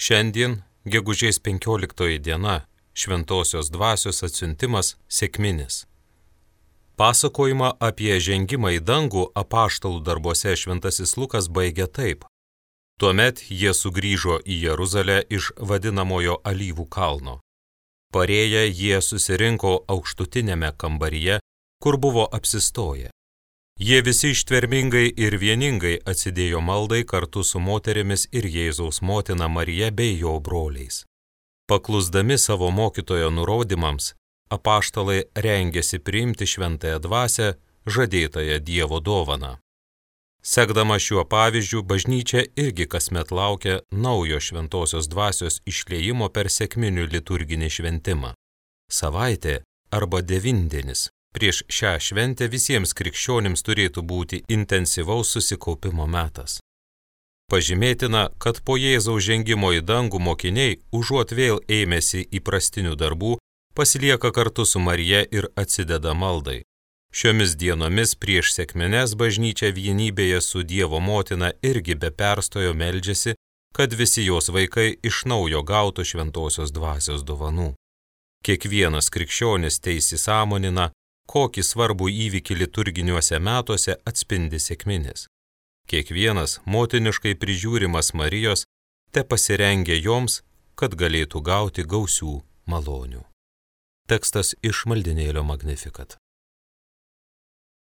Šiandien, gegužės 15 diena, Šventosios dvasios atsiuntimas sekminis. Pasakojimą apie žengimą į dangų apaštalų darbuose šventasis Lukas baigia taip. Tuomet jie sugrįžo į Jeruzalę iš vadinamojo Alyvų kalno. Parėję jie susirinko aukštutinėme kambaryje, kur buvo apsistoję. Jie visi ištvermingai ir vieningai atsidėjo maldai kartu su moterimis ir Jėzaus motina Marija bei jo broliais. Paklusdami savo mokytojo nurodymams, apaštalai rengėsi priimti šventąją dvasią, žadėtąją Dievo dovaną. Sekdama šiuo pavyzdžiu, bažnyčia irgi kasmet laukia naujo šventosios dvasios išliejimo per sekminių liturginį šventimą. Savaitė arba devindienis prieš šią šventę visiems krikščionims turėtų būti intensyvaus susikaupimo metas. Pažymėtina, kad po Jėzaus žengimo į dangų mokiniai, užuot vėl ėmėsi įprastinių darbų, pasilieka kartu su Marija ir atsideda maldai. Šiomis dienomis prieš sekmines bažnyčia vienybėje su Dievo motina irgi be perstojo meldžiasi, kad visi jos vaikai iš naujo gautų šventosios dvasios dovanų. Kiekvienas krikščionis teisisąmonina, kokį svarbų įvykį liturginiuose metuose atspindi sekminis. Kiekvienas motiniškai prižiūrimas Marijos te pasirengia joms, kad galėtų gauti gausių malonių. Tekstas iš maldinėlio Magnificat.